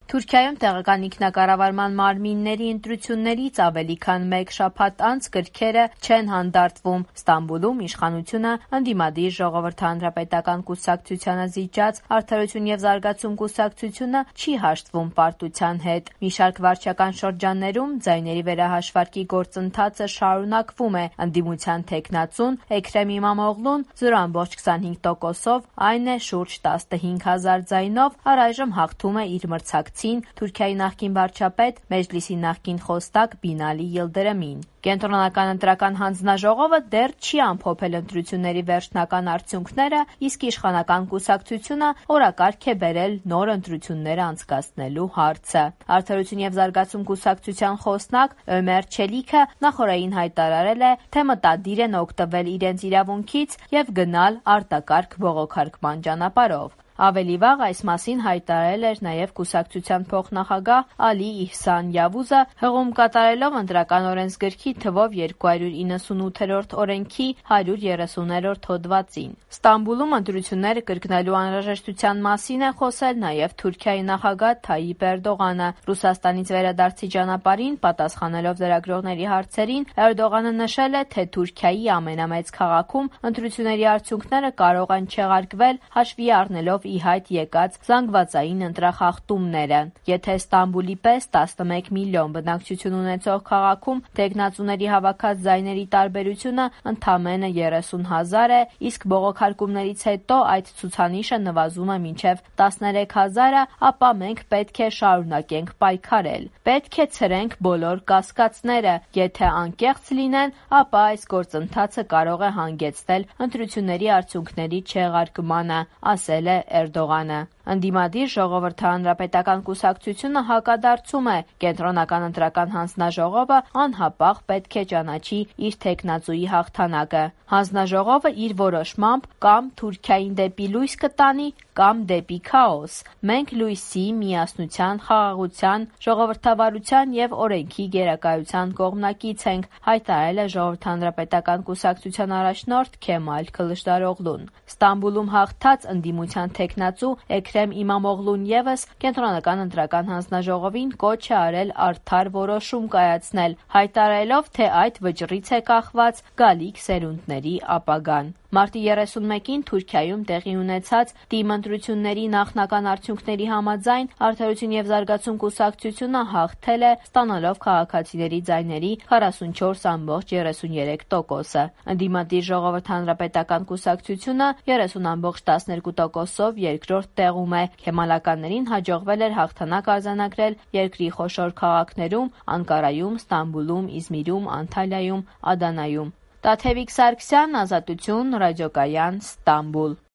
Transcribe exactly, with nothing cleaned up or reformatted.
Թուրքիայում տեղական ինքնակառավարման մարմինների ընտրություններից ավելի քան մեկ շաբաթ անց գրքերը չեն հանդարտվում։ Ստամբուլում իշխանությունը ընդդիմադիր Ժողովրդի հանրապետական կուսակցությանը զիջած Արդարություն և զարգացում կուսակցությունը չի հաշտվում պարտության հետ։ Մի շարք վարչական շրջաններում ձայների վերահաշվարկի գործընթացը շարունակվում է։ Ընդդիմության թեկնածուն Էքրեմ Իմամօղլուն զրո կόμma քսանհինգ տոկոսով, այն է շուրջ տասնհինգ հազար ձայնով, առայժմ հաղթում է իր մրցակցին Թուրքիայի նախկին վարչապետ, Մեջլիսի նախկին խոսնակ Բինալի Յիլդրիմին։ Կենտրոնական ընտրական հանձնաժողովը դեռ չի ամփոփել ընտրությունների վերջնական արդյունքները, իսկ իշխանական կուսակցությունը օրակարգ է բերել նոր ընտրություններ անցկացնելու հարցը։ Արդարություն և զարգացում կուսակցության խոսնակ Ömer Çelikը նախօրեին հայտարարել է, թե մտադիր են օգտվել իրենց իրավունքից և գնալ արտակարգ բողոքարկման ճանապարհով։ Ավելի վաղ այս մասին հայտարարել էր նաև կուսակցության փոխնախագահ Ալի Իհսան Յավուզը, հղում կատարելով ընտրական օրենսգրքի թվով երկու հարյուր իննսունութերորդ օրենքի հարյուր երեսուներորդ հոդվածին։ Ստամբուլում ընտրությունները կրկնելու անհրաժեշտության մասին է խոսել նաև Թուրքիայի նախագահ Թայիպ Էրդողանը։ Ռուսաստանից վերադարձի ճանապարհին պատասխանելով լրագրողների հարցերին, Էրդողանը նշել է, թե Թուրքիայի ամենամեծ քաղաքում ընտրությունների արդյունքները կարող են չեղարկվել, հաշվի առնելով ի հայտ եկած զանգվածային ընտրախախտումները։ Եթե Ստամբուլի պես տասնմեկ միլիոն բնակչություն ունեցող քաղաքում թեկնածուների հավաքած ձայների տարբերությունը ընդամենը երեսուն հազար է, իսկ բողոքարկումներից հետո այդ ցուցանիշը նվազում է մինչև տասներեք հազարը, ապա մենք պետք է շարունակենք պայքարել։ Պետք է ցրենք բոլոր կասկածները։ Եթե անկեղծ լինեն, ապա այս գործընթացը կարող է հանգեցնել ընտրությունների արդյունքների չեղարկմանը, ասել է Էրդողանը։ Ընդդիմադիր Ժողովրդի հանրապետական կուսակցությունը հակադարձում է։ Կենտրոնական ընտրական հանձնաժողովը անհապաղ պետք է ճանաչի իր թեկնածուի հաղթանակը։ Հանձնաժողովը իր որոշմամբ կամ Թուրքիային դեպի լույս կտանի, կամ դեպի քաոս։ Մենք լույսի, միասնության, խաղաղության, ժողովրդավարության և օրենքի գերակայության կողմնակից ենք, հայտարարել է Ժողովրդի հանրապետական կուսակցության առաջնորդ Քեմալ Քլչդարօղլուն։ Ստամբուլում հաղթած ընդդիմության թեկնածու Էքրեմ Իմամօղլուն ևս Կենտրոնական ընտրական հանձնաժողովին կոչ է արել արդար որոշում կայացնել, հայտարարելով, թե այդ վճռից է կախված գալիք սերունդների ապագան։ Մարտի երեսունմեկին Թուրքիայում տեղի ունեցած ՏԻՄ ընտրությունների նախնական արդյունքների համաձայն Արդարություն և զարգացում կուսակցությունը հաղթել է, ստանալով քաղաքացիների ձայների քառասունչորս կόμma երեսունյերեք տոկոսը։ Ընդդիմադիր Ժողովրդի հանրապետական կուսակցությունը երեսուն կόμma տասներկու տոկոսով երկրորդ տեղում է։ Քեմալականներին հաջողվել էր հաղթանակ արձանագրել երկրի խոշոր քաղաքներում՝ Անկարայում, Ստամբուլում, Իզմիրում, Անտալիայում, Ադանայում։ Տաթևիկ Սարգսյան, Ազատություն, ռադիոկայան, Ստամբուլ։